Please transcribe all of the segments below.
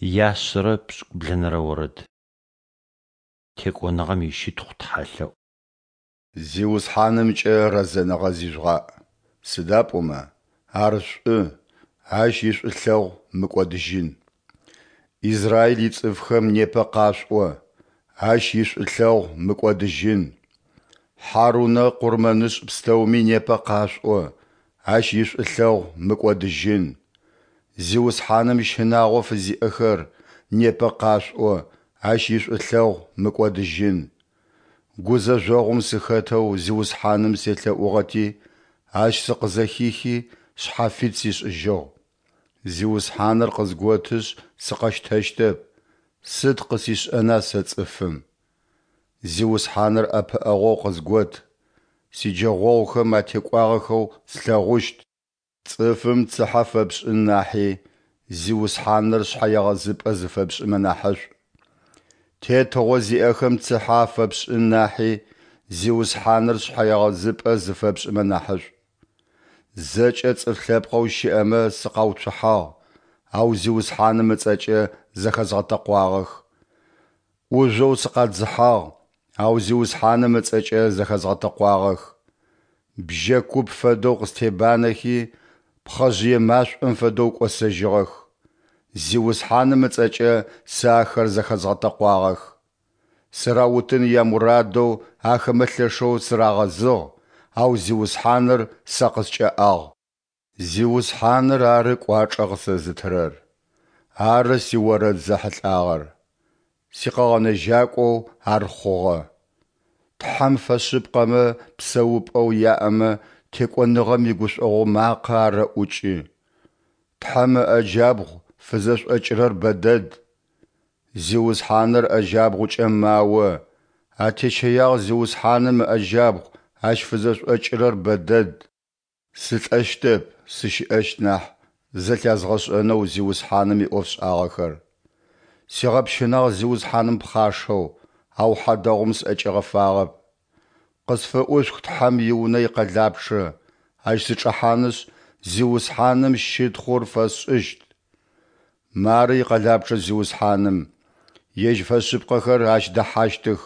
Яшъэрэ пшӏыкӏублэнэрэ орэд. Текӏоныгъэм ищытхъу тхьэлъэӏу. Зиусхьанымкӏэ рэзэныгъэ зижъугъаӏ, сыда пӏомэ Ар шӏу, Ащ ишӏулъэгъу мыкӏодыжьын. Израиль ицӏыфхэм непэ къашъуӏо: Ащ ишӏулъэгъу мыкӏодыжьын. Хьарунэ къурмэнышӏ пстэуми непэ къашъуӏо: Ащ ишӏулъэгъу мыкӏодыжьын. Зиусхьаным щынагъо фызиӏэхэр, непэ къашъуӏо: Ащ ишӏулъэгъу мыкӏодыжьын. Гузэжъогъум сыхэтэу Зиусхьаным селъэӏугъэти, Ащ сыкъызэхихи, шъхьафит сишӏыжьыгъ. Зиусхьаныр къызготышъ, сыкъэщтэщтэп, сыд къысишӏэна сэ цӏыфым? Зиусхьаныр ӏэпыӏэгъоу къызгот, сиджэгъогъухэм атекӏуагъэхэу слъэгъущт. Цӏыфым цыхьэ фэпшӏын нахьи, Зиусхьаныр шъхьэегъэзыпӏэ зыфэпшӏымэ нахьышӏу. Тетыгъо зиӏэхэм цыхьэ афэпшӏын нахьи, Зиусхьаныр шъхьэегъэзыпӏэ зыфэпшӏымэ нахьышӏу. Зэкӏэ цӏыф лъэпкъэу щыӏэмэ сыкъауцухьагъ, ау Зиусхьаным ыцӏэкӏэ зэхэзгъэтэкъуагъэх. ӏужъоу сыкъадзыхьагъ, ау Зиусхьаным ыцӏэкӏэ зэхэзгъэтэкъуагъэх. Бжьэ куп фэдэу къыстебанэхи, пхъэжъые машӏом фэдэу кӏосэжьыгъэх. Зиусхьаным ыцӏэкӏэ сэ ахэр зэхэзгъэтэкъуагъэх. Сыраутын ямурадэу ахэмэ лъэшэу сырагъэзыгъ, ау Зиусхьаныр сэ къыскӏэӏагъ. Зиусхьаныр ары кӏуачӏэ къысэзытырэр, ары сиорэд зэхьылӏагъэр, сикъэгъэнэжьакӏоу Ар хъугъэ. Тхьэм фэшъыпкъэмэ псэупӏэу яӏэмэ текӏоныгъэм игушӏогъо макъэ арэӏукӏы. Тхьэм ыӏэ джабгъу фызэшӏокӏырэр бэдэд. Зиусхьаныр ыӏэ джабгъукӏэ мао, атещэягъ Зиусхьаным ыӏэ джабгъу ащ фызэшӏокӏырэр бэдэд. Сылӏэщтэп, сыщыӏэщт нахь, зэлъязгъэшӏэнэу Зиусхьаным иӏофшӏагъэхэр. Сигъэпщынагъ Зиусхьаным пхъашэу, ау хьадэгъум сӏэкӏигъэфагъэп. Къысфыӏушъух Тхьэм и Унэ икъэлапчъэ, ащ сычӏэхьанышъ, Зиусхьаным щытхъур фэсшӏыщт. Мары икъэлапчъэ Зиусхьаным, Ежь фэшъыпкъэхэр ащ дэхьащтых.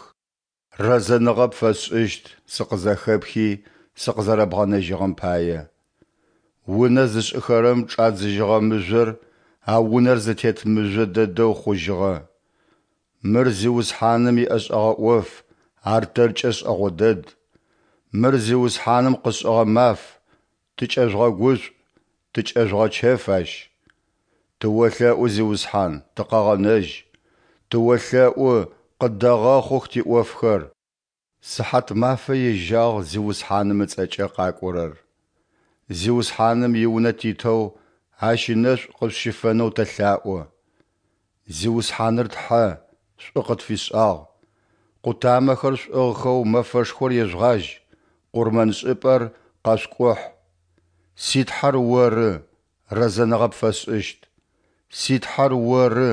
Рэзэныгъэ пфэсшӏыщт сыкъызэхэпхи сыкъызэрэбгъэнэжьыгъэм пае. Унэ зышӏыхэрэм чӏадзыжьыгъэ мыжъор а унэр зытет мыжъо дэдэу хъужьыгъэ. Мыр Зиусхьаным иӏэшӏэгъэ ӏоф, ар тэркӏэ шӏэгъо дэд. Мыр Зиусхьаным къышӏыгъэ маф, тыкӏэжъугъэгушӏу, тыкӏэжъугъэчэф ащ. Тыолъэӏу, Зиусхьан, тыкъэгъэнэжь! Тыолъэӏу, къыддэгъэхъух тиӏофхэр! Сыхьатмафэ ежьагъ Зиусхьаным ыцӏэкӏэ къакӏорэр. Зиусхьаным и Унэ титэу Ащ ынэшӏу къышъущыфэнэу тэлъаӏо. Зиусхьаныр Тхьэ, шӏу къытфишӏагъ. Къутамэхэр шъуӏыгъхэу мэфэшхор ежъугъажь, къурмэншӏыпӏэр къэшъукӏухь. Си Тхьэр Оры, рэзэныгъэ пфэсшӏыщт. Си Тхьэр Оры,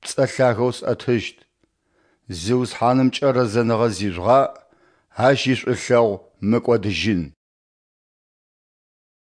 пцӏэ лъагэу сӏэтыщт. Зиусхьанымкӏэ рэзэныгъэ зижъугъаӏ, Ащ ишӏулъэгъу мыкӏодыжьын.